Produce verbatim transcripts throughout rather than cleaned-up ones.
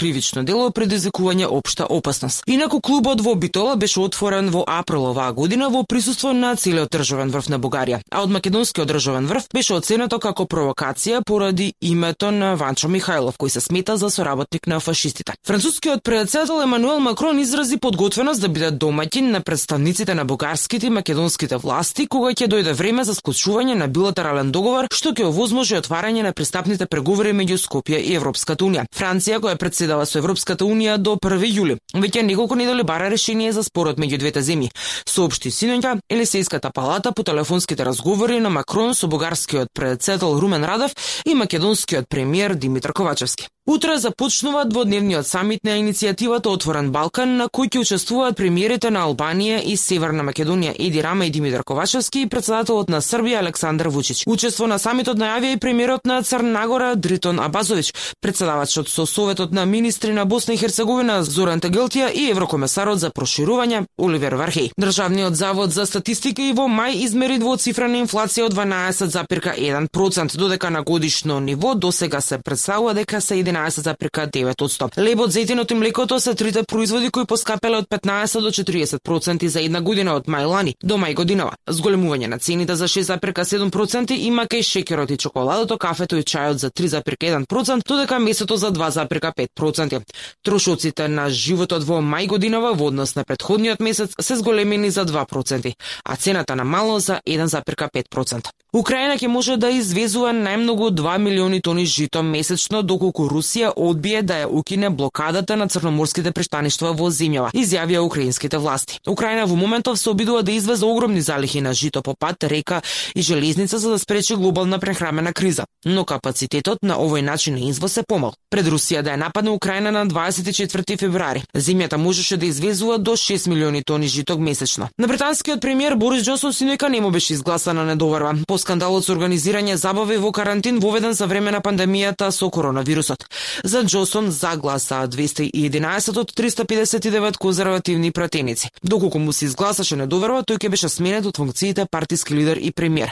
кривично дело предизвикување општа опасност. Инаку клубот во Битола беше отворен во април оваа година во присуство на целиот државен врв на Бугарија, а од македонскиот државен врв беше оценето како провокација поради името на Ванчо Михајлов, кој се смета за соработник на фашистите. Францускиот председател Емануел Макрон изрази подготвеност да биде домаќин на представниците на бугарските и македонските власти кога ќе дојде време за склучување на билатерален договор што ќе овозможи отварање на пристапните преговори меѓу Скопје и Европската унија. Франција, која претседава со Европската унија до први јули, веќе неколку недели бара решение за спорот меѓу двете земји, соопшти синоќа Елисејската палата по телефонските разговори на Макрон со бугарскиот председател Румен Радев и македонскиот премиер Димитар Ковачевски. Утре започнува дводневниот самит на иницијативата Отворен Балкан, на кој ќе учествуваат премиерите на Албанија и Северна Македонија Еди Рама и Димитар Ковачевски и председателот на Србија Александар Вучич. Учество на самитот најавија и премиерот на Црна Гора Дритон Абазович, председавачот со Советот на министри на Босна и Херцеговина Зоран Тагелтија и еврокомесарот за проширување Оливер Вархеј. Државниот завод за статистика и во мај измери двоцифрена инфлација од дванаесет зарез еден процент, додека на годишно ниво досега се представува дека се единаесет зарез девет проценти. Лебот, зетинот и млекото се трите производи кои поскапеле од петнаесет до четириесет проценти за една година од мај лани до мај годинава. Зголемување на цените за шест зарез седум проценти има кај шеќерот и чоколадото, кафето и чајот за три зарез еден процент, додека месото за два зарез пет проценти. Трошоците на животот во мај годинава во однос на претходниот месец се зголемени за два проценти, а цената на мало за еден зарез пет проценти. Украина ќе може да извезува најмногу два милиони тони жито месечно доколку Русија одбие да ја укине блокадата на црноморските пристаништва во земјава, изјавија украинските власти. Украина во моментов се обидува да извезе огромни залихи на жито по пат, река и железница за да спречи глобална прехрамена криза, но капацитетот на овој начин на извоз е помал. Пред Русија да ја нападне Украина на дваесет и четврти февруари, земјата можеше да извезува до шест милиони тони жито месечно. На британскиот премиер Борис Џонсон синоќа не му беше изгласана недоварба по скандалот со организирање забави во карантин воведен за време на пандемијата со коронавирусот. За Џонсон загласа двеста и единаесет од триста педесет и девет конзервативни пратеници. Доколку му се изгласаше недоверба, тој ќе беше сменет од функциите партиски лидер и премиер.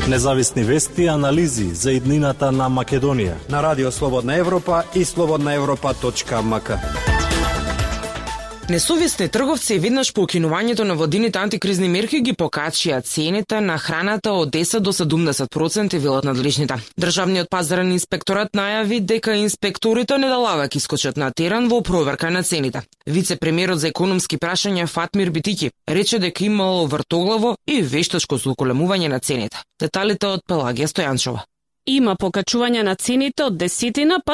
Независни вести и анализи за иднината на Македонија на Радио Слободна Европа и слободна европа точка ем ка. Несовесни трговци веднаш по укинувањето на владините антикризни мерки ги покачија цените на храната од десет до седумдесет проценти, велат надлежните. Државниот пазарен инспекторат најави дека инспекторите недалавак искочат на терен во проверка на цените. Вице-премиерот за економски прашања Фатмир Битики рече дека имало вртоглаво и вештачко злоколемување на цените. Деталите од Пелагија Стојанчова. Има покачување на цените од десетина па